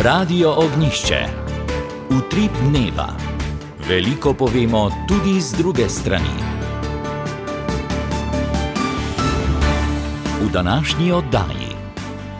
Radio Ognjišče. Utrip dneva. Veliko povemo tudi z druge strani. V današnji oddaji.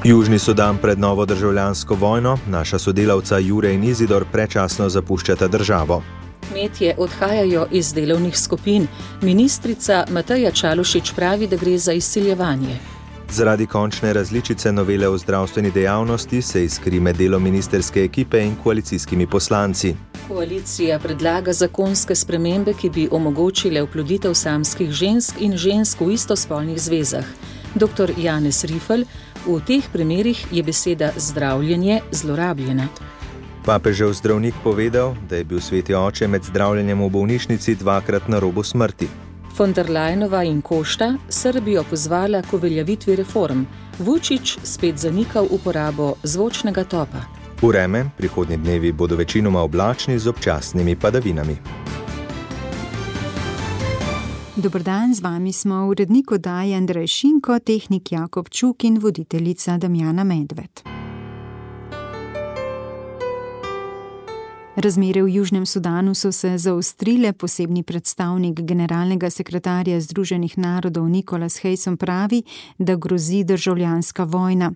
Južni Sudan pred novo državljansko vojno, naša sodelavca Jure in Izidor predčasno zapuščata državo. Kmetje odhajajo iz delovnih skupin. Ministrica Mateja Čalušić pravi, da gre za izsiljevanje. Zaradi končne različice novele o zdravstveni dejavnosti se iskri med delom ministerske ekipe in koalicijskimi poslanci. Koalicija predlaga zakonske spremembe, ki bi omogočile oploditev samskih žensk in žensk v istospolnih zvezah. Dr. Janez Rifel, v teh primerih je beseda zdravljenje zlorabljena. Papežev zdravnik povedal, da je bil sveti oče med zdravljenjem v bolnišnici dvakrat na robu smrti. Von der Leyenova in Košta Srbijo pozvala k uveljavitvi reform. Vučić spet zanikal uporabo zvočnega topa. Vreme, prihodnji dnevi bodo večinoma oblačni z občasnimi padavinami. Dober dan, z vami smo urednik oddaje Andrej Šinko, tehnik Jakob Čuk in voditeljica Damjana Medved. Razmere v Južnem Sudanu so se zaostrile. Posebni predstavnik generalnega sekretarja Združenih narodov Nicholas Haysom pravi, da grozi državljanska vojna.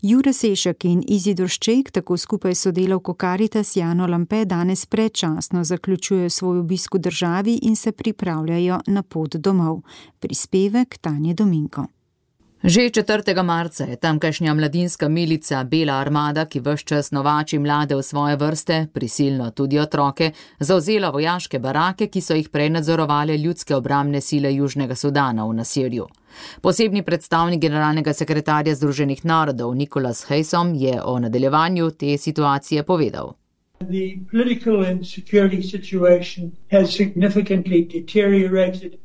Jure Sešak in Izidor Šček, tako skupaj sodelavko Caritas Jano Lampe, danes predčasno zaključujejo svoj obisk v državi in se pripravljajo na pot domov. Prispevek Tanje Dominko. Že 4. marca je tamkajšnja mladinska milica Bela armada, ki ves čas novači mlade v svoje vrste, prisilno tudi otroke, zavzela vojaške barake, ki so jih prej nadzorovale ljudske obrambne sile Južnega Sudana v Nasirju. Posebni predstavnik generalnega sekretarja Združenih narodov Nicholas Haysom je o nadaljevanju te situacije povedal. The political and security situation has significantly deteriorated.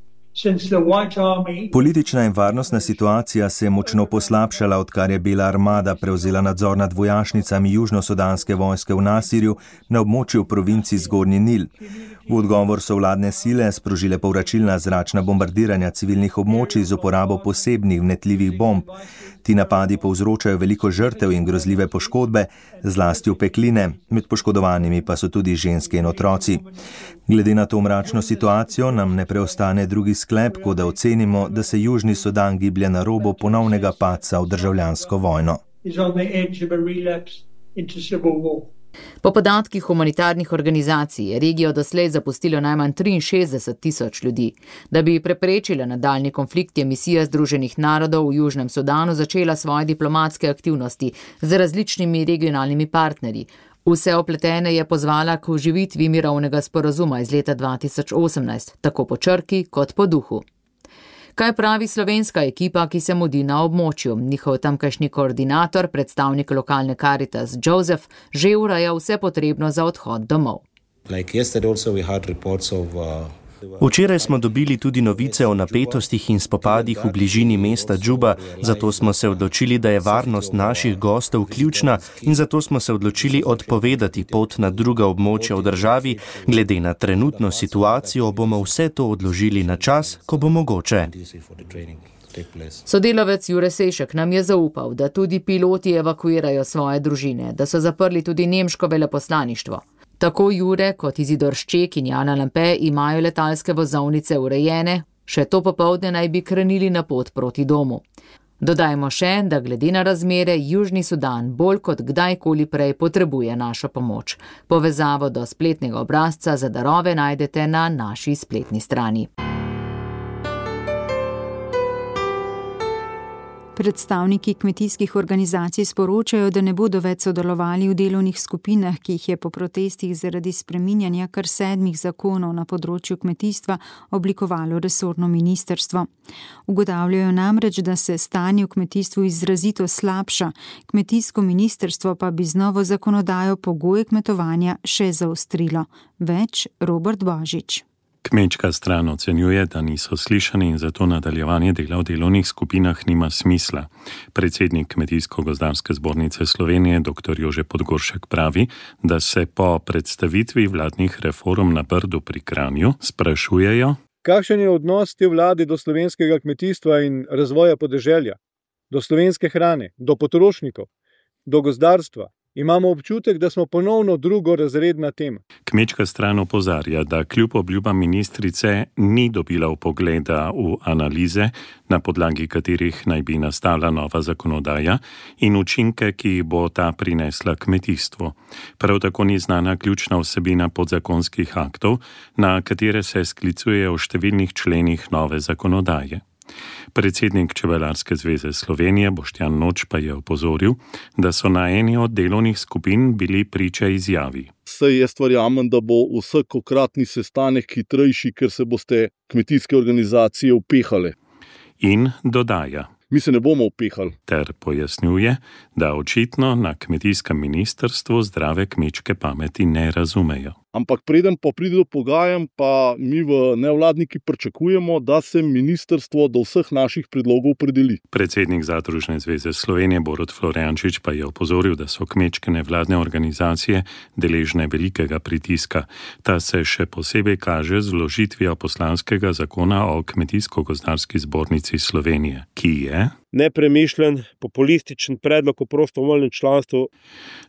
Politična in varnostna situacija se je močno poslabšala, odkar je Bela armada prevzela nadzor nad vojašnicami južnosudanske vojske v Nasirju na območju provinci Zgornji Nil. V odgovor so vladne sile sprožile povračilna zračna bombardiranja civilnih območij z uporabo posebnih vnetljivih bomb. Ti napadi povzročajo veliko žrtev in grozljive poškodbe, zlasti opekline, med poškodovanimi pa so tudi ženske in otroci. Glede na to mračno situacijo nam ne preostane drugi sklep, kot da ocenimo, da se Južni Sudan giblje na robu ponovnega padca v državljansko vojno. Po podatkih humanitarnih organizacij je regijo doslej zapustilo najmanj 63,000 ljudi. Da bi preprečila nadaljnji konflikt, je misija Združenih narodov v Južnem Sudanu začela svoje diplomatske aktivnosti z različnimi regionalnimi partnerji. Vse opletene je pozvala k oživitvi mirovnega sporazuma iz leta 2018, tako po črki kot po duhu. Kaj pravi slovenska ekipa, ki se mudi na območju? Njihov tamkajšnji koordinator, predstavnik lokalne Caritas Joseph, že ureja vse potrebno za odhod domov. Včeraj smo dobili tudi novice o napetostih in spopadih v bližini mesta Džuba, zato smo se odločili, da je varnost naših gostov ključna in zato smo se odločili odpovedati pot na druga območja v državi. Glede na trenutno situacijo bomo vse to odložili na čas, ko bo mogoče. Sodelavec Jure Sešak nam je zaupal, da tudi piloti evakuirajo svoje družine, da so zaprli tudi nemško veleposlaništvo. Tako Jure kot Izidor Šček in Jana Lampe imajo letalske vozovnice urejene, še to popoldne naj bi krenili na pot proti domu. Dodajmo še, da glede na razmere Južni Sudan bolj kot kdajkoli prej potrebuje našo pomoč. Povezavo do spletnega obrazca za darove najdete na naši spletni strani. Predstavniki kmetijskih organizacij sporočajo, da ne bodo več sodelovali v delovnih skupinah, ki jih je po protestih zaradi spreminjanja kar 7 zakonov na področju kmetijstva oblikovalo resorno ministrstvo. Ugotavljajo namreč, da se stanje v kmetijstvu izrazito slabša, kmetijsko ministrstvo pa bi z novo zakonodajo pogoje kmetovanja še zaostrilo. Več Robert Božič. Kmečka stran ocenjuje, da niso slišani in zato nadaljevanje dela v delovnih skupinah nima smisla. Predsednik Kmetijsko-gozdarske zbornice Slovenije, dr. Jože Podgoršek, pravi, da se po predstavitvi vladnih reform na Brdu pri Kranju sprašujejo, kakšen je odnos te vlade do slovenskega kmetijstva in razvoja podeželja, do slovenske hrane, do potrošnikov, do gozdarstva, imamo občutek, da smo ponovno drugorazredna tema. Kmečka stran opozarja, da kljub obljubam ministrice ni dobila vpogleda v analize, na podlagi katerih naj bi nastala nova zakonodaja in učinke, ki jih bo ta prinesla kmetijstvu. Prav tako ni znana ključna vsebina podzakonskih aktov, na katere se sklicujejo v številnih členih nove zakonodaje. Predsednik Čebelarske zveze Slovenije Boštjan Noč pa je opozoril, da so na eni od delovnih skupin bili priča izjavi. Saj jaz verjamem, da bo vsakokratni sestanek hitrejši, ker se boste kmetijske organizacije upehale. In dodaja. Mi se ne bomo upehali. Ter pojasnjuje, da očitno na kmetijskem ministrstvu zdrave kmečke pameti ne razumejo. Ampak preden pa pride do pogajanj, pa mi v nevladniki pričakujemo, da se ministrstvo do vseh naših predlogov opredeli. Predsednik Zadružne zveze Slovenije Borut Florjančič pa je opozoril, da so kmečke nevladne organizacije deležne velikega pritiska. Ta se še posebej kaže z vložitvijo poslanskega zakona o Kmetijsko-gozdarski zbornici Slovenije, ki je nepremišljen, populističen predlog o prostovoljnem članstvu.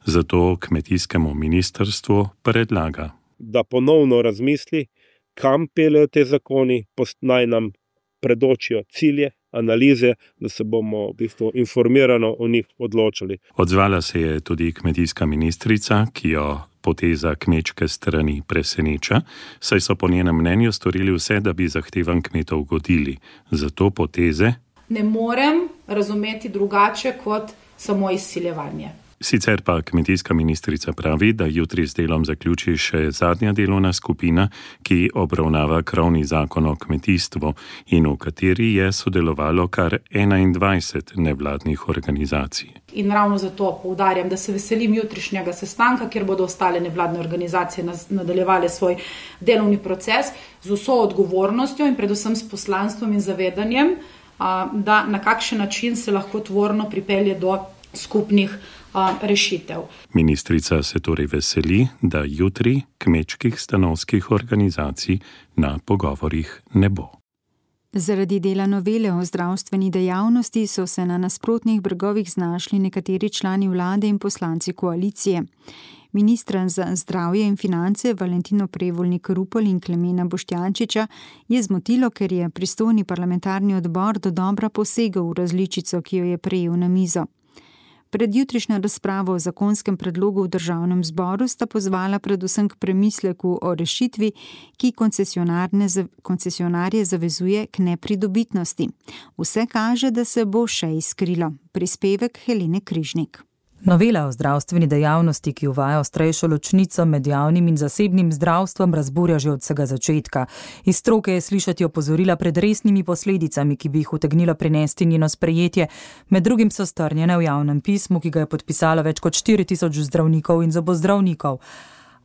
Zato kmetijskemu ministrstvu predlaga, da ponovno razmisli, kam peljejo te zakoni, naj nam predočijo cilje, analize, da se bomo v bistvu informirano o njih odločili. Odzvala se je tudi kmetijska ministrica, ki jo poteza kmečke strani preseneča, saj so po njenem mnenju storili vse, da bi zahtevam kmetov ugodili. Zato poteze ne morem razumeti drugače kot samo izsiljevanje. Sicer pa kmetijska ministrica pravi, da jutri z delom zaključi še zadnja delovna skupina, ki obravnava krovni zakon o kmetijstvu in v kateri je sodelovalo kar 21 nevladnih organizacij. In ravno zato poudarjam, da se veselim jutrišnjega sestanka, kjer bodo ostale nevladne organizacije nadaljevale svoj delovni proces z vso odgovornostjo in predvsem s poslanstvom in zavedanjem, da na kakšen način se lahko tvorno pripelje do skupnih rešitev. Ministrica se torej veseli, da jutri kmečkih stanovskih organizacij na pogovorih ne bo. Zaradi dela novele o zdravstveni dejavnosti so se na nasprotnih bregovih znašli nekateri člani vlade in poslanci koalicije. Ministra za zdravje in finance Valentino Prevolnik Rupel in Klemena Boštjančiča je zmotilo, ker je pristojni parlamentarni odbor dodobra posegel v različico, ki jo je prejel na mizo. Pred jutrišnjo razpravo o zakonskem predlogu v državnem zboru sta pozvala predvsem k premisleku o rešitvi, ki koncesionarje zavezuje k nepridobitnosti. Vse kaže, da se bo še izkrilo. Prispevek Helene Križnik. Novela o zdravstveni dejavnosti, ki uvaja ostrejšo ločnico med javnim in zasebnim zdravstvom, razburja že od vsega začetka. Iz stroke je slišati opozorila pred resnimi posledicami, ki bi jih utegnilo prinesti njeno sprejetje. Med drugim so strnjene v javnem pismu, ki ga je podpisalo več kot 4000 zdravnikov in zobozdravnikov.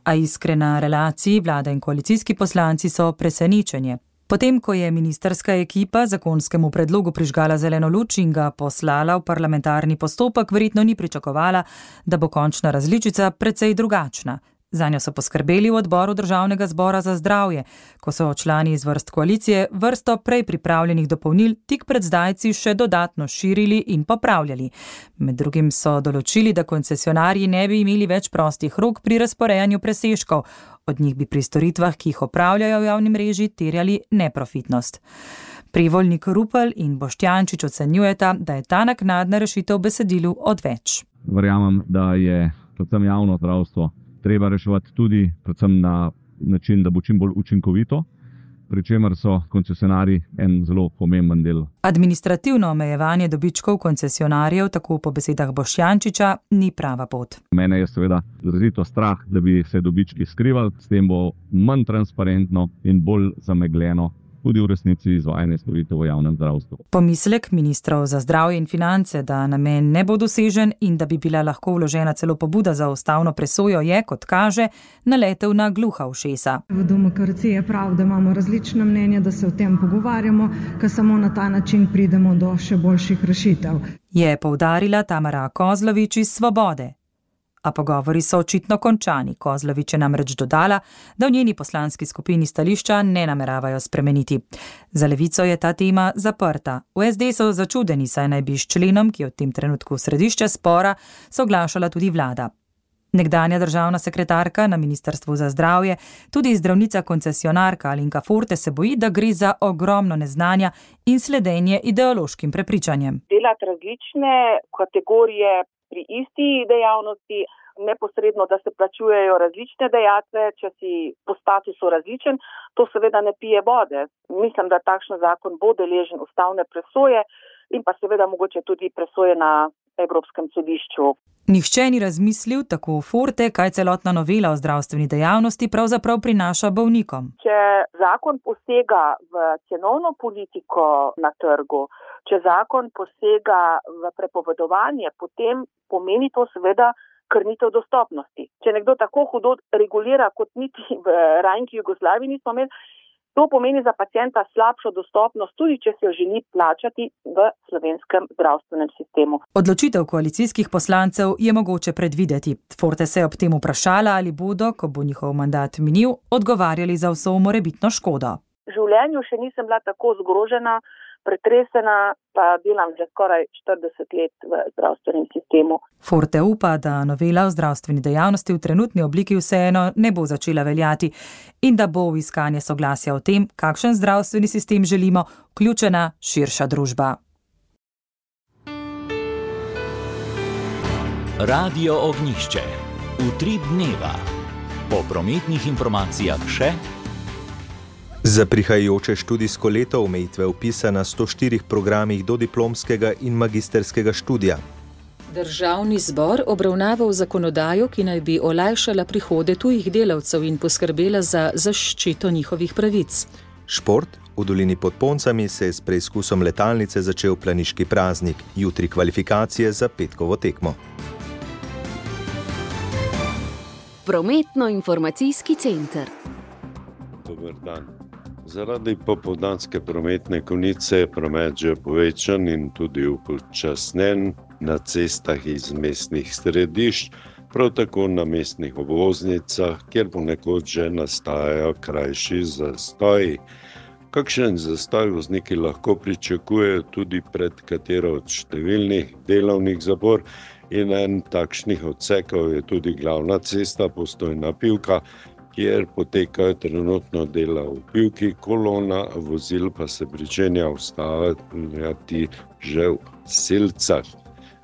A iskrena relaciji vlada in koalicijski poslanci so presenečenje. Potem, ko je ministrska ekipa zakonskemu predlogu prižgala zeleno luč in ga poslala v parlamentarni postopek, verjetno ni pričakovala, da bo končna različica precej drugačna. Zanjo so poskrbeli v odboru Državnega zbora za zdravje, ko so člani iz vrst koalicije vrsto prej pripravljenih dopolnil tik pred zdajci še dodatno širili in popravljali. Med drugim so določili, da koncesionarji ne bi imeli več prostih rok pri razporejanju presežkov. Od njih bi pri storitvah, ki jih opravljajo v javni mreži, terjali neprofitnost. Prevolnik Rupel in Boštjančič ocenjujeta, da je ta naknadna rešitev v besedilu odveč. Verjamem, da je predvsem javno zdravstvo treba reševati tudi predvsem na način, da bo čim bolj učinkovito, pri čemer so koncesionarji en zelo pomemben del. Administrativno omejevanje dobičkov koncesionarjev, tako po besedah Boštjančiča, ni prava pot. Mene je seveda izrazito strah, da bi se dobički skrivali, s tem bo manj transparentno in bolj zamegljeno tudi v resnici izvajanje storitev v javnem zdravstvu. Pomislek ministrov za zdravje in finance, da namen ne bo dosežen in da bi bila lahko vložena celo pobuda za ustavno presojo, je, kot kaže, naletel na gluha ušesa. V demokraciji je prav, da imamo različna mnenja, da se o tem pogovarjamo, ker samo na ta način pridemo do še boljših rešitev. Je poudarila Tamara Kozlovič iz Svobode. A pogovori so očitno končani. Kozlovič je namreč dodala, da v njeni poslanski skupini stališča ne nameravajo spremeniti. Za Levico je ta tema zaprta. V SD so začudeni, saj naj bi s členom, ki je v tem trenutku središče spora, soglašala tudi vlada. Nekdanja državna sekretarka na Ministrstvu za zdravje, tudi zdravnica koncesionarka Alenka Forte se boji, da gre za ogromno neznanja in sledenje ideološkim prepričanjem. Delati različne kategorije pri isti dejavnosti, neposredno, da se plačujejo različne dajatve, če si po statusu različen, to seveda ne pije vode. Mislim, da takšen zakon bo deležen ustavne presoje in pa seveda mogoče tudi presoje na Evropskem sodišču. Nihče ni razmislil, tako Forte, kaj celotna novela o zdravstveni dejavnosti pravzaprav prinaša bolnikom. Če zakon posega v cenovno politiko na trgu, če zakon posega v prepovedovanje, potem pomeni to seveda krnitev dostopnosti. Če nekdo tako hudo regulira, kot niti v rajnki Jugoslaviji nismo imeli, to pomeni za pacienta slabšo dostopnost, tudi če se jo želi plačati v slovenskem zdravstvenem sistemu. Odločitev koalicijskih poslancev je mogoče predvideti. Forte se je ob tem vprašala, ali bodo, ko bo njihov mandat minil, odgovarjali za vso morebitno škodo. V življenju še nisem bila tako zgrožena, pretresena, pa delam že skoraj 40 let v zdravstvenem sistemu. Forte upa, da novela o zdravstveni dejavnosti v trenutni obliki vseeno ne bo začela veljati in da bo v iskanje soglasja o tem, kakšen zdravstveni sistem želimo, vključena širša družba. Radio Ognjišče. Utrip dneva. Po prometnih informacijah še. Za prihajajoče študijsko leto omejitve vpisa na 104 programih dodiplomskega in magisterskega študija. Državni zbor obravnaval zakonodajo, ki naj bi olajšala prihode tujih delavcev in poskrbela za zaščito njihovih pravic. Šport. V dolini pod Poncami se je s preizkusom letalnice začel planiški praznik, jutri kvalifikacije za petkovo tekmo. Prometno-informacijski center. Dober dan. Zaradi popoldanske prometne konice je promet že povečan in tudi upočasnjen na cestah iz mestnih središč, prav tako na mestnih obvoznicah, kjer ponekod že nastajajo krajši zastoji. Kakšen zastoj vozniki lahko pričakujejo tudi pred katero od številnih delovnih zapor in en takšnih odsekov je tudi glavna cesta Postojna-Pivka, kjer potekajo trenutno dela v Pivki, kolona vozil pa se pričenja ustavljati že v Silcah.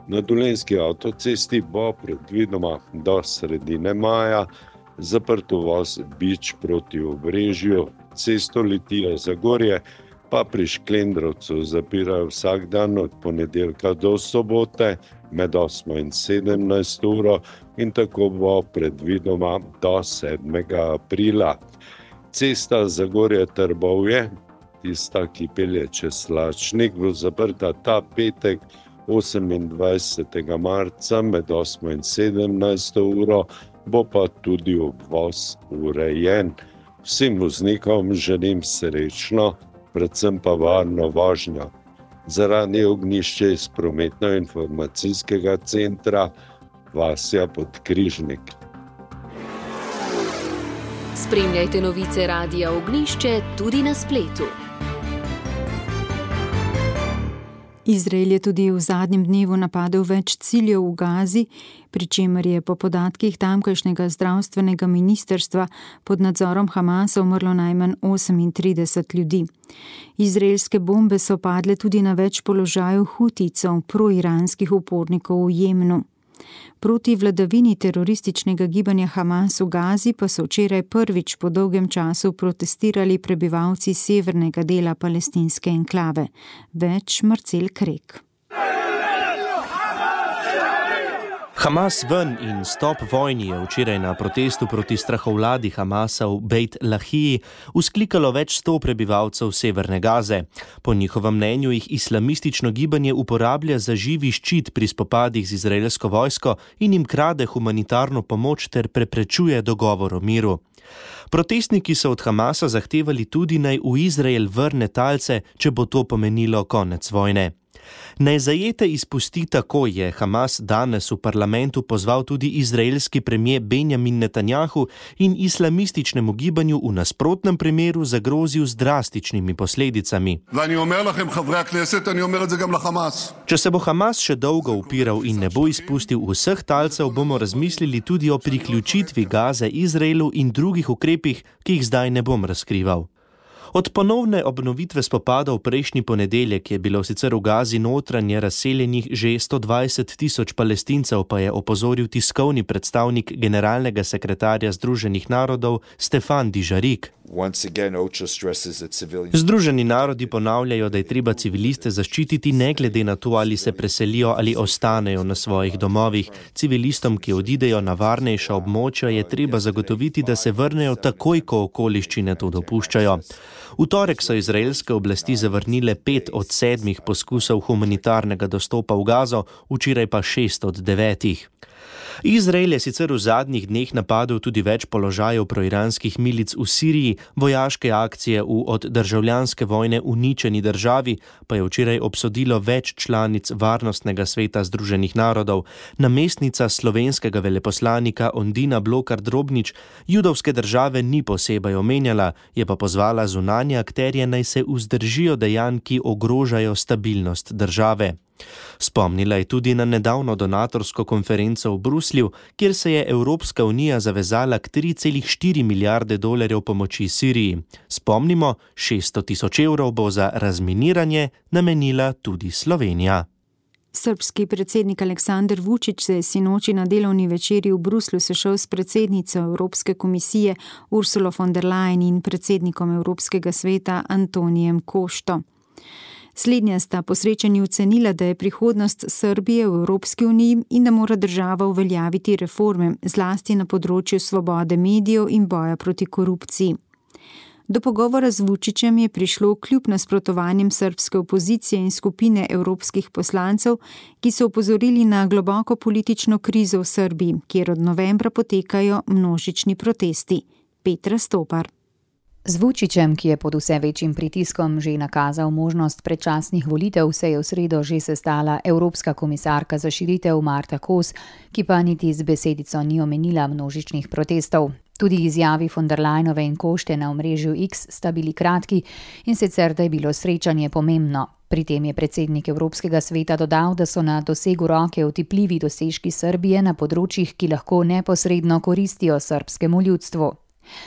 Na dolenjski avtocesti bo predvidoma do sredine maja zaprt uvoz Bič proti Obrežju, cesto Litija-Zagorje pa pri Šklendrovcu zapirajo vsak dan od ponedeljka do sobote med 8 in 17 uro in tako bo predvidoma do 7. aprila. Cesta Zagorje-Trbovje, tista, ki pelje čez Slačnik, bo zaprta ta petek 28. marca med 8 in 17 uro, bo pa tudi obvoz urejen. Vsem voznikom želim srečno, predvsem pa varno vožnjo. Za Radio Ognjišče iz prometno-informacijskega centra Vasja Podkrižnik. Spremljajte novice Radia Ognjišče tudi na spletu. Izrael je tudi v zadnjem dnevu napadel več ciljev v Gazi, pri čemer je po podatkih tamkajšnjega zdravstvenega ministrstva pod nadzorom Hamasa umrlo najmanj 38 ljudi. Izraelske bombe so padle tudi na več položajev Hutijcev, proiranskih upornikov v Jemnu. Proti vladavini terorističnega gibanja Hamas v Gazi pa so včeraj prvič po dolgem času protestirali prebivalci severnega dela palestinske enklave. Več Marcel Krek. Hamas ven in stop vojni je včeraj na protestu proti strahovladi Hamasa v Bejt Lahiji vzklikalo več 100 prebivalcev severne Gaze. Po njihovem mnenju jih islamistično gibanje uporablja za živi ščit pri spopadih z izraelsko vojsko in jim krade humanitarno pomoč ter preprečuje dogovor o miru. Protestniki so od Hamasa zahtevali tudi, naj v Izrael vrne talce, če bo to pomenilo konec vojne. Naj zajete izpusti takoj, je Hamas danes v parlamentu pozval tudi izraelski premier Benjamin Netanjahu in islamističnemu gibanju v nasprotnem primeru zagrozil z drastičnimi posledicami. Če se bo Hamas še dolgo upiral in ne bo izpustil vseh talcev, bomo razmislili tudi o priključitvi Gaze Izraelu in drugih ukrepih, ki jih zdaj ne bom razkrival. Od ponovne obnovitve spopadov prejšnji ponedeljek je bilo sicer v Gazi notranje razseljenih že 120.000 Palestincev, pa je opozoril tiskovni predstavnik generalnega sekretarja Združenih narodov Stefan Dujarric. Združeni narodi ponavljajo, da je treba civiliste zaščititi ne glede na to, ali se preselijo ali ostanejo na svojih domovih. Civilistom, ki odidejo na varnejša območja, je treba zagotoviti, da se vrnejo takoj, ko okoliščine to dopuščajo. V torek so izraelske oblasti zavrnile 5 od 7 poskusov humanitarnega dostopa v Gazo, včeraj pa 6 od 9. Izrael je sicer v zadnjih dneh napadel tudi več položajev proiranskih milic v Siriji, vojaške akcije v od državljanske vojne uničeni državi pa je včeraj obsodilo več članic Varnostnega sveta Združenih narodov. Namestnica slovenskega veleposlanika Ondina Blokar-Drobnič judovske države ni posebej omenjala, je pa pozvala zunanje akterje, naj se vzdržijo dejanj, ki ogrožajo stabilnost države. Spomnila je tudi na nedavno donatorsko konferenco v Bruslju, kjer se je Evropska unija zavezala k 3,4 milijarde dolarjev pomoči Siriji. Spomnimo, 600.000 evrov bo za razminiranje namenila tudi Slovenija. Srbski predsednik Aleksandar Vučić se je sinoči na delovni večerji v Bruslju sešel s predsednico Evropske komisije Ursulo von der Leyen in predsednikom Evropskega sveta Antonijem Košto. Slednja sta po srečanju ocenila, da je prihodnost Srbije v Evropski uniji in da mora država uveljaviti reforme, zlasti na področju svobode medijev in boja proti korupciji. Do pogovora z Vučićem je prišlo kljub nasprotovanjem srbske opozicije in skupine evropskih poslancev, ki so opozorili na globoko politično krizo v Srbiji, kjer od novembra potekajo množični protesti. Petra Stopar. Z Vučićem, ki je pod vse večjim pritiskom že nakazal možnost predčasnih volitev, se je v sredo že sestala Evropska komisarka za širitev Marta Kos, ki pa niti z besedico ni omenila množičnih protestov. Tudi izjavi von der Leyenove in Košte na omrežju X sta bili kratki in sicer, da je bilo srečanje pomembno. Pri tem je predsednik Evropskega sveta dodal, da so na dosegu roke otipljivi dosežki Srbije na področjih, ki lahko neposredno koristijo srbskemu ljudstvu.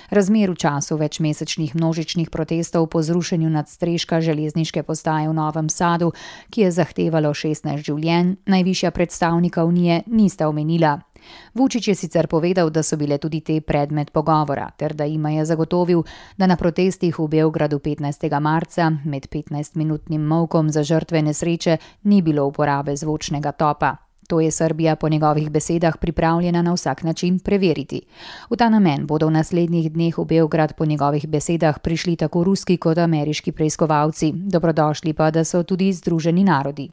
Razmer v času večmesečnih množičnih protestov po zrušenju nadstreška železniške postaje v Novem Sadu, ki je zahtevalo 16 življenj, najvišja predstavnika Unije nista omenila. Vučić je sicer povedal, da so bile tudi te predmet pogovora, ter da jima je zagotovil, da na protestih v Beogradu 15. marca med 15-minutnim molkom za žrtve nesreče ni bilo uporabe zvočnega topa. To je Srbija po njegovih besedah pripravljena na vsak način preveriti. V ta namen bodo v naslednjih dneh v Beograd po njegovih besedah prišli tako ruski kot ameriški preiskovalci. Dobrodošli pa, da so tudi Združeni narodi.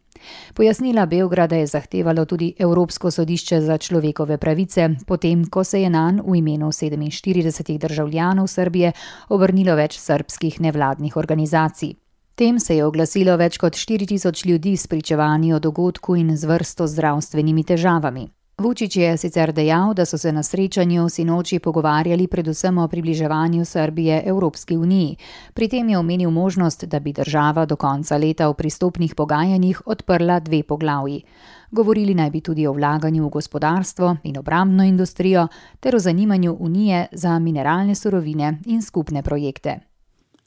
Pojasnila Beograda je zahtevalo tudi Evropsko sodišče za človekove pravice, potem ko se je nanj v imenu 47 državljanov Srbije obrnilo več srbskih nevladnih organizacij. Tem se je oglasilo več kot 4000 ljudi s pričevanji o dogodku in z vrsto zdravstvenimi težavami. Vučić je sicer dejal, da so se na srečanju sinoči pogovarjali predvsem o približevanju Srbije Evropski uniji. Pri tem je omenil možnost, da bi država do konca leta v pristopnih pogajanjih odprla 2 poglavji. Govorili naj bi tudi o vlaganju v gospodarstvo in obrambno industrijo ter o zanimanju Unije za mineralne surovine in skupne projekte.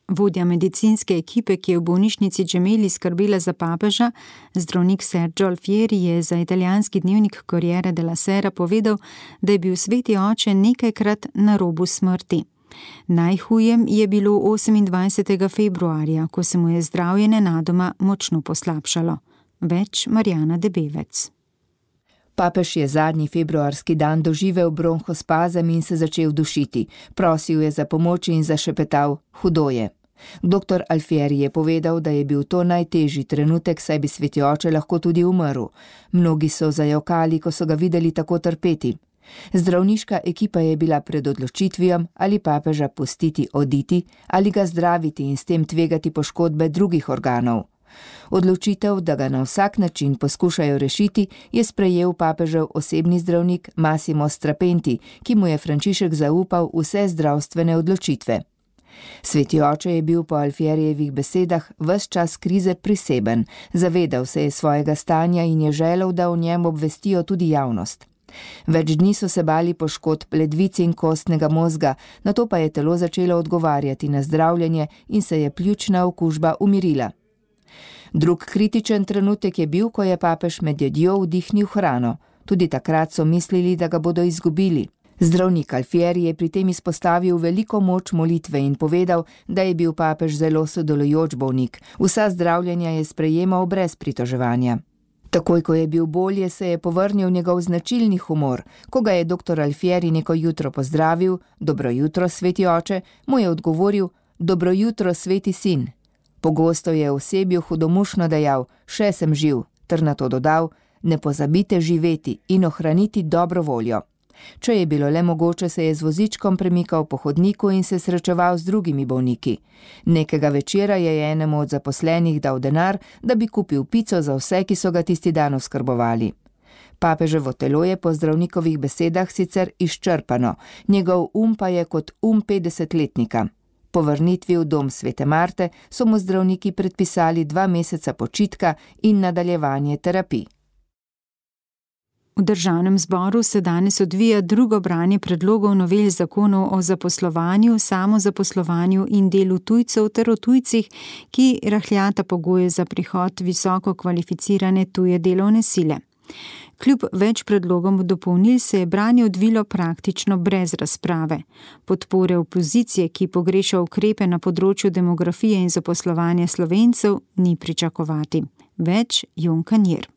Vodja medicinske ekipe, ki je v bolnišnici Gemelli skrbela za papeža, zdravnik Sergio Alfieri, je za italijanski dnevnik Corriere della Sera povedal, da je bil sveti oče nekajkrat na robu smrti. Najhujem je bilo 28. februarja, ko se mu je zdravje nenadoma močno poslabšalo. Več Marjana Debevec. Papež je zadnji februarski dan doživel bronhospazem in se začel dušiti. Prosil je za pomoč in zašepetal: hudo je. Dr. Alfieri je povedal, da je bil to najtežji trenutek, saj bi sveti oče lahko tudi umrl. Mnogi so zajokali, ko so ga videli tako trpeti. Zdravniška ekipa je bila pred odločitvijo, ali papeža pustiti oditi ali ga zdraviti in s tem tvegati poškodbe drugih organov. Odločitev, da ga na vsak način poskušajo rešiti, je sprejel papežev osebni zdravnik Massimo Strapenti, ki mu je Frančišek zaupal vse zdravstvene odločitve. Sveti oče je bil po Alfierijevih besedah ves čas krize priseben, zavedal se je svojega stanja in je želel, da o njem obvestijo tudi javnost. Več dni so se bali poškodb ledvic in kostnega mozga, nato pa je telo začelo odgovarjati na zdravljenje in se je pljučna okužba umirila. Drug kritičen trenutek je bil, ko je papež med jedjo vdihnil hrano. Tudi takrat so mislili, da ga bodo izgubili. Zdravnik Alfieri je pri tem izpostavil veliko moč molitve in povedal, da je bil papež zelo sodelujoč bolnik. Vsa zdravljenja je sprejemal brez pritoževanja. Takoj, ko je bil bolje, se je povrnil njegov značilni humor. Ko ga je dr. Alfieri neko jutro pozdravil, dobro jutro, sveti oče, mu je odgovoril, dobro jutro, sveti sin. Pogosto je osebju hudomušno dejal, še sem živ, ter nato dodal, ne pozabite živeti in ohraniti dobro voljo. Če je bilo le mogoče, se je z vozičkom premikal po hodniku in se srečeval z drugimi bolniki. Nekega večera je enemu od zaposlenih dal denar, da bi kupil pico za vse, ki so ga tisti dan oskrbovali. Papeževo telo je po zdravnikovih besedah sicer izčrpano, njegov pa je kot 50-letnika. Po vrnitvi v dom Svete Marte so mu zdravniki predpisali 2 meseca počitka in nadaljevanje terapij. V Državnem zboru se danes odvija drugo branje predlogov novel zakonov o zaposlovanju, samozaposlovanju in delu tujcev ter o tujcih, ki rahljata pogoje za prihod visoko kvalificirane tuje delovne sile. Kljub več predlogom dopolnil se je branje odvilo praktično brez razprave. Podpore opozicije, ki pogreša ukrepe na področju demografije in zaposlovanja Slovencev, ni pričakovati. Več Jon Kanjer.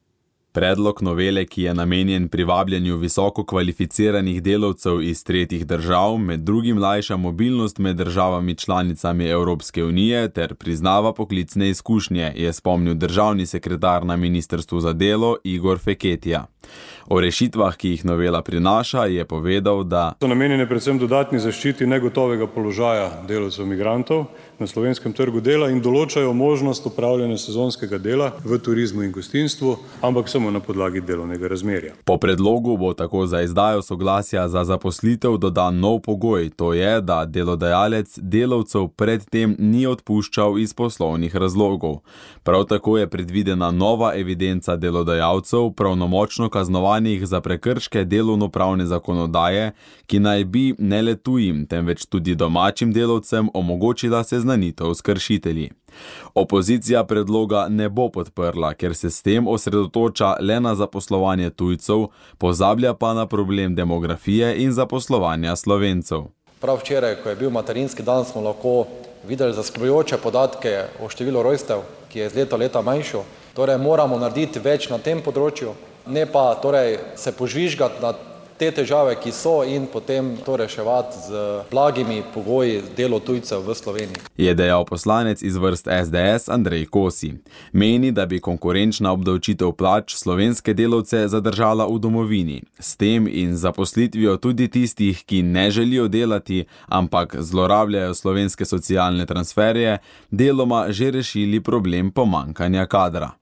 Predlog novele, ki je namenjen privabljanju visoko kvalificiranih delavcev iz tretjih držav, med drugim lajša mobilnost med državami članicami Evropske unije ter priznava poklicne izkušnje, je spomnil državni sekretar na Ministrstvu za delo Igor Feketija. O rešitvah, ki jih novela prinaša, je povedal, da so namenjene predvsem dodatni zaščiti negotovega položaja delavcev migrantov na slovenskem trgu dela in določajo možnost opravljanja sezonskega dela v turizmu in gostinstvu, ampak samo na podlagi delovnega razmerja. Po predlogu bo tako za izdajo soglasja za zaposlitev dodan nov pogoj, to je, da delodajalec delavcev predtem ni odpuščal iz poslovnih razlogov. Prav tako je predvidena nova evidenca delodajalcev pravnomočno kaznovanih za prekrške delovnopravne zakonodaje, ki naj bi ne le tujim, temveč tudi domačim delavcem omogočila seznanitev s kršitelji. Opozicija predloga ne bo podprla, ker se s tem osredotoča le na zaposlovanje tujcev, pozablja pa na problem demografije in zaposlovanja Slovencev. Prav včeraj, ko je bil materinski dan, smo lahko videli zaskrbljujoče podatke o številu rojstev, ki je iz leta manjšo. Torej moramo narediti več na tem področju, ne pa se požvižgati na te težave, ki so, in potem to reševati z blagimi pogoji delo tujcev v Sloveniji. Je dejal poslanec iz vrst SDS Andrej Kosi. Meni, da bi konkurenčna obdavčitev plač slovenske delavce zadržala v domovini. S tem in zaposlitvijo tudi tistih, ki ne želijo delati, ampak zlorabljajo slovenske socialne transferje, deloma že rešili problem pomanjkanja kadra.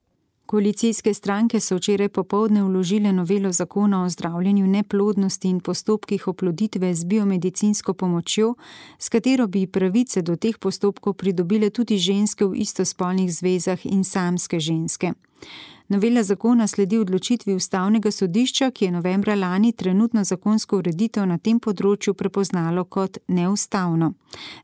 Koalicijske stranke so včeraj popoldne vložile novelo zakona o zdravljenju neplodnosti in postopkih oploditve z biomedicinsko pomočjo, s katero bi pravice do teh postopkov pridobile tudi ženske v istospolnih zvezah in samske ženske. Novela zakona sledi odločitvi Ustavnega sodišča, ki je novembra lani trenutno zakonsko ureditev na tem področju prepoznalo kot neustavno.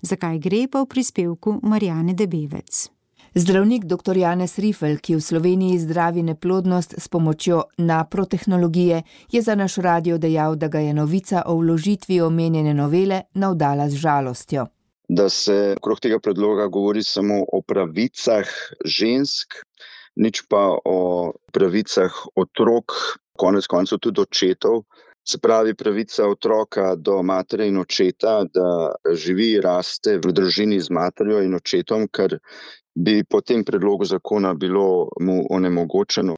Zakaj gre, pa v prispevku Marjane Debevec. Zdravnik dr. Janez Rifel, ki v Sloveniji zdravi neplodnost s pomočjo naprotehnologije, je za naš radio dejal, da ga je novica o vložitvi omenjene novele navdala z žalostjo. Da se okrog tega predloga govori samo o pravicah žensk, nič pa o pravicah otrok, konec koncev tudi očetov. Se pravi pravica otroka do matere in očeta, da živi, raste v družini z materjo in očetom, kar bi po tem predlogu zakona bilo mu onemogočeno.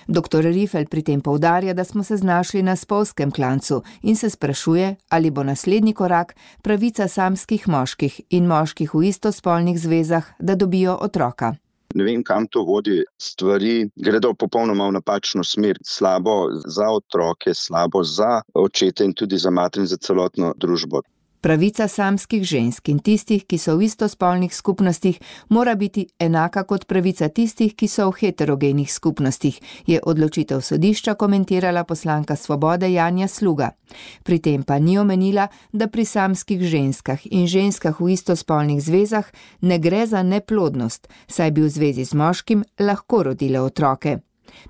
Dr. Rifel pri tem poudarja, da smo se znašli na spolskem klancu in se sprašuje, ali bo naslednji korak pravica samskih moških in moških v istospolnih zvezah, da dobijo otroka. Ne vem, kam to vodi. Stvari gredo popolnoma v napačno smer. Slabo za otroke, slabo za očete in tudi za mater in za celotno družbo. Pravica samskih žensk in tistih, ki so v istospolnih skupnostih, mora biti enaka kot pravica tistih, ki so v heterogenih skupnostih, je odločitev sodišča komentirala poslanka Svobode Janja Sluga. Pri tem pa ni omenila, da pri samskih ženskah in ženskah v istospolnih zvezah ne gre za neplodnost, saj bi v zvezi z moškim lahko rodile otroke.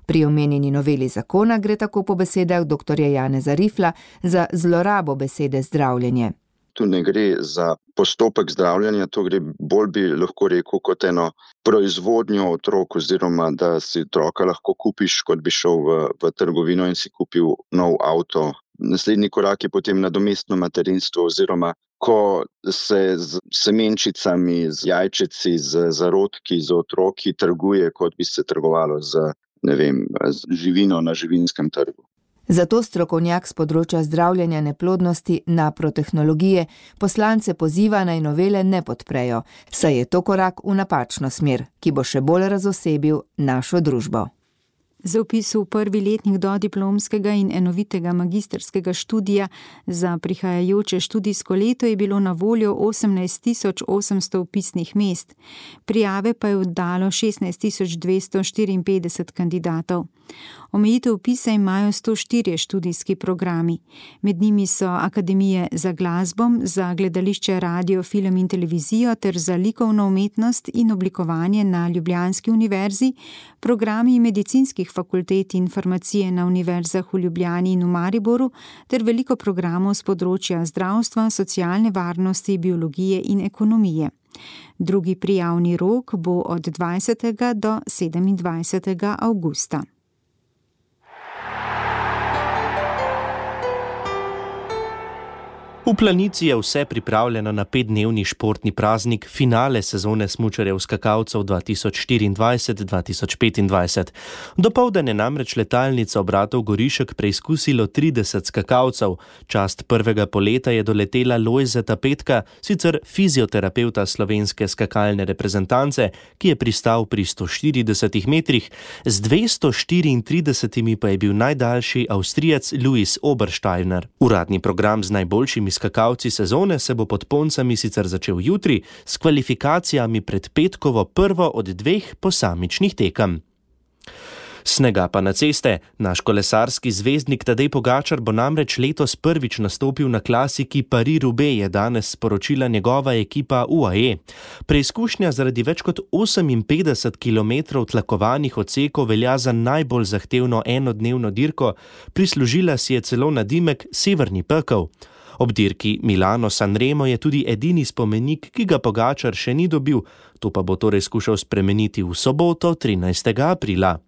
Pri omenjeni noveli zakona gre tako po besedah dr. Janeza Rifla za zlorabo besede zdravljenje. Tu ne gre za postopek zdravljenja, to gre bolj bi lahko rekel kot eno proizvodnjo otrok oziroma da si otroka lahko kupiš, kot bi šel v trgovino in si kupil nov avto. Naslednji korak je potem nadomestno materinstvo oziroma ko se z semenčicami, z jajčeci, z zarodki, z otroki trguje, kot bi se trgovalo z živino na živinskem trgu. Zato strokovnjak z področja zdravljenja neplodnosti naprotehnologije poslance poziva naj novele ne podprejo, saj je to korak v napačno smer, ki bo še bolj razosebil našo družbo. Za vpis v prvi letnik dodiplomskega in enovitega magistrskega študija za prihajajoče študijsko leto je bilo na voljo 18.800 vpisnih mest. Prijave pa je oddalo 16.254 kandidatov. Omejitev vpisa imajo 104 študijski programi. Med njimi so akademije za glasbo, za gledališče, radio, film in televizijo ter za likovno umetnost in oblikovanje na Ljubljanski univerzi, programi medicinskih fakultet in farmacije na univerzah v Ljubljani in v Mariboru ter veliko programov z področja zdravstva, socialne varnosti, biologije in ekonomije. Drugi prijavni rok bo od 20. do 27. avgusta. V Planici je vse pripravljeno na 5-dnevni športni praznik, finale sezone smučarjev skakalcev 2024-2025. Dopoldan je namreč letalnica obratov Gorišek preizkusilo 30 skakalcev. Čast prvega poleta je doletela Lojzeta Petka, sicer fizioterapeuta slovenske skakalne reprezentance, ki je pristal pri 140 metrih, z 234 pa je bil najdaljši Avstrijec Louis Obersteiner. Uradni program z najboljšimi skakalci sezone se bo pod Poncami sicer začel jutri s kvalifikacijami pred petkovo prvo od 2 posamičnih tekem. Snega pa na ceste. Naš kolesarski zvezdnik Tadej Pogačar bo namreč letos prvič nastopil na klasiki Paris-Roubaix, je danes sporočila njegova ekipa UAE. Preizkušnja zaradi več kot 58 km tlakovanih odsekov velja za najbolj zahtevno enodnevno dirko, prislužila si je celo nadimek Severni pekel. Ob dirki Milano-Sanremo je tudi edini spomenik, ki ga Pogačar še ni dobil, to pa bo torej skušal spremeniti v soboto 13. aprila.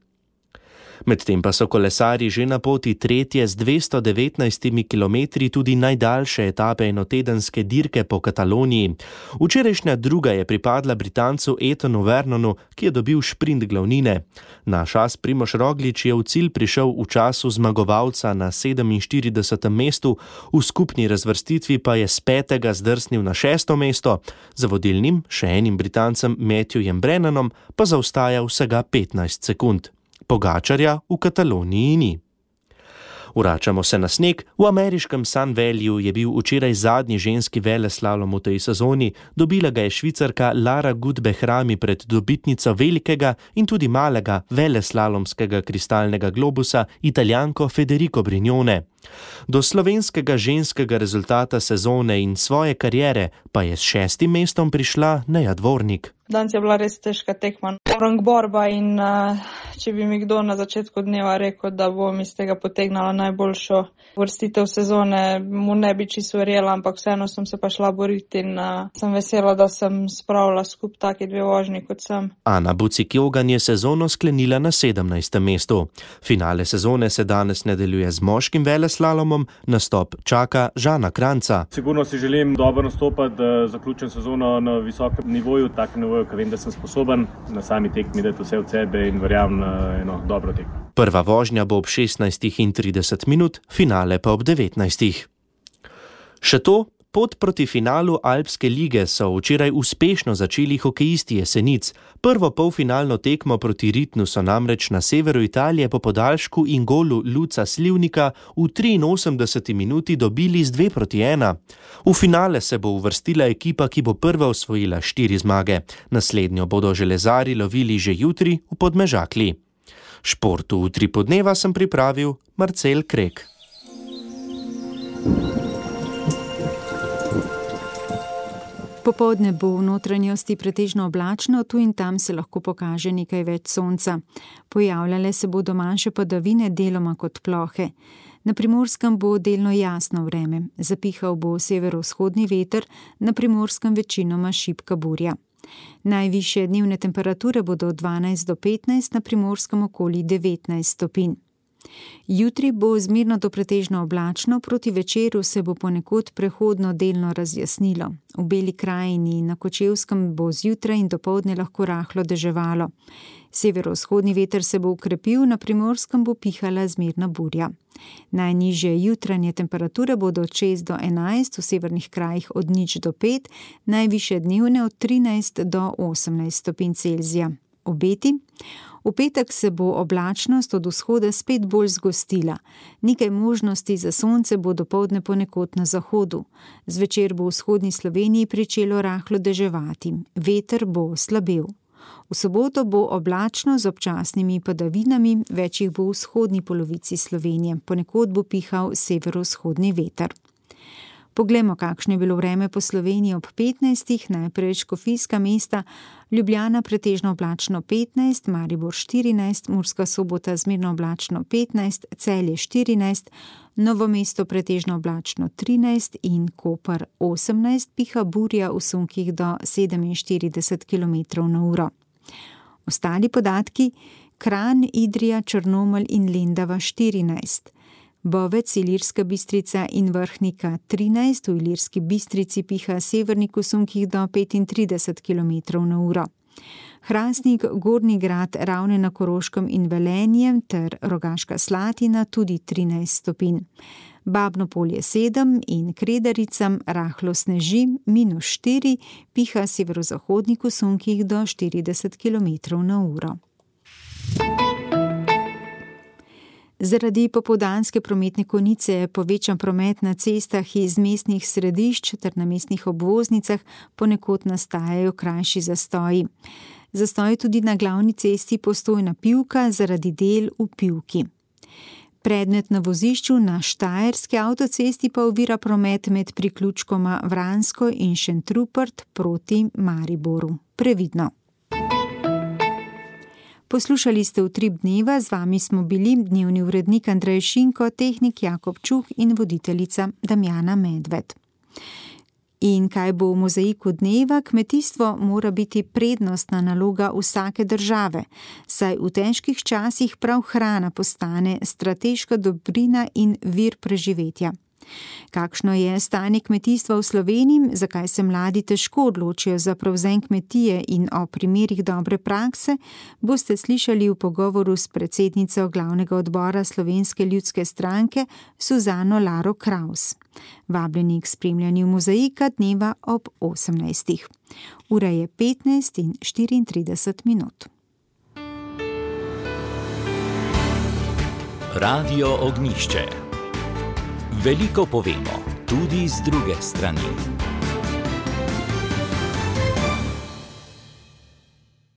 Medtem pa so kolesarji že na poti tretje z 219 kilometri tudi najdaljše etape enotedenske dirke po Kataloniji. Včerajšnja druga je pripadla Britancu Etonu Vernonu, ki je dobil šprint glavnine. Naš as Primož Roglič je v cilj prišel v času zmagovalca na 47. mestu, v skupni razvrstitvi pa je s 5. zdrsnil na 6. mesto, za vodilnim, še enim Britancem Matthewjem Brennanom, pa zaostaja vsega 15 sekund. Pogačarja v Kataloniji ni. Vračamo se na sneg. V ameriškem Sun Valleyju je bil včeraj zadnji ženski veleslalom v tej sezoni. Dobila ga je Švicarka Lara Gut-Behrami pred dobitnico velikega in tudi malega veleslalomskega kristalnega globusa, Italijanko Federico Brignone. Do slovenskega ženskega rezultata sezone in svoje kariere pa je s 6. mestom prišla Neja Dvornik. Danes je bila res težka tekma, rang borba in če bi mi kdo na začetku dneva rekel, da bom iz tega potegnala najboljšo vrstitev sezone, mu ne bi čisto verjela, ampak vseeno sem se pa šla boriti in sem vesela, da sem spravila skup taki 2 vožnji kot sem. Ana Bucik-Jogan je sezono sklenila na 17. mestu. Finale sezone se danes nadaljuje z moškim veleslalomom, nastop čaka Žana Kranjca. Sigurno si želim dobro nastopati, da zaključim sezono na visokem nivoju, takem nivoju, ker vem, da sem sposoben na sami tekmi dati vse od sebe in verjamem na eno dobro tekmo. Prva vožnja bo ob 16:30, finale pa ob 19. Še to, Pot proti finalu Alpske lige so včeraj uspešno začeli hokejisti Jesenic. Prvo polfinalno tekmo proti Ritnu so namreč na severu Italije po podaljšku in golu Luca Slivnika v 83 minuti dobili z 2-1. V finale se bo uvrstila ekipa, ki bo prva osvojila 4 zmage. Naslednjo bodo železari lovili že jutri v Podmežakli. Športu v Utrip dneva sem pripravil Marcel Krek. Popoldne bo v notranjosti pretežno oblačno, tu in tam se lahko pokaže nekaj več sonca. Pojavljale se bodo manjše padavine, deloma kot plohe. Na Primorskem bo delno jasno vreme, zapihal bo severovzhodni veter, na Primorskem večinoma šibka burja. Najvišje dnevne temperature bodo od 12 do 15, na Primorskem okoli 19 stopinj. Jutri bo zmerno do pretežno oblačno, proti večeru se bo ponekod prehodno delno razjasnilo. V Beli krajini in na Kočevskem bo zjutraj in dopoldne lahko rahlo deževalo. Severovzhodni veter se bo ukrepil, na Primorskem bo pihala zmerna burja. Najnižje jutranje temperature bodo od 6 do 11, v severnih krajih od 0 do 5, najvišje dnevne od 13 do 18 stopinj Celzija. Obeti? V petek se bo oblačnost od vzhoda spet bolj zgostila. Nekaj možnosti za sonce bo dopoldne ponekod na zahodu. Zvečer bo v vzhodni Sloveniji pričelo rahlo deževati. Veter bo slabel. V soboto bo oblačno z občasnimi padavinami, več jih bo v vzhodni polovici Slovenije. Ponekod bo pihal severovzhodni veter. Poglejmo, kakšno je bilo vreme po Sloveniji ob 15. Najprej Škofijska mesta, Ljubljana pretežno oblačno 15, Maribor 14, Murska Sobota zmerno oblačno 15, Celje 14, Novo mesto pretežno oblačno 13 in Koper 18, piha burja v sunkih do 47 km/h. Ostali podatki: Kranj, Idrija, Črnomelj in Lendava 14. Bovec, Ilirska Bistrica in Vrhnika 13, v Ilirski Bistrici piha severnik v sunkih do 35 km/h. Hrastnik, Gornji Grad, Ravne na Koroškem in Velenje ter Rogaška Slatina tudi 13 stopinj. Babno Polje 7 in Kredaricam rahlo sneži, -4, piha severozahodnik v sunkih do 40 km/h. Zaradi popoldanske prometne konice je povečan promet na cestah iz mestnih središč ter na mestnih obvoznicah, ponekod nastajajo krajši zastoji. Zastoj tudi na glavni cesti Postojna-Pivka zaradi del v Pivki. Predmet na vozišču na Štajerski avtocesti pa ovira promet med priključkoma Vransko in Šentrupert proti Mariboru. Previdno. Poslušali ste Utrip dneva, z vami smo bili dnevni urednik Andrej Šinko, tehnik Jakob Čuh in voditeljica Damjana Medved. In kaj bo v mozaiku dneva? Kmetijstvo mora biti prednostna naloga vsake države, saj v težkih časih prav hrana postane strateška dobrina in vir preživetja. Kakšno je stanje kmetijstva v Sloveniji, zakaj se mladi težko odločijo za prevzem kmetije in o primerih dobre prakse, boste slišali v pogovoru s predsednico glavnega odbora Slovenske ljudske stranke Suzano Laro Kraus. Vabljeni k spremljanju mozaika dneva ob 18. Ura je 15:34. Radio Ognjišče. Veliko povemo, tudi z druge strani.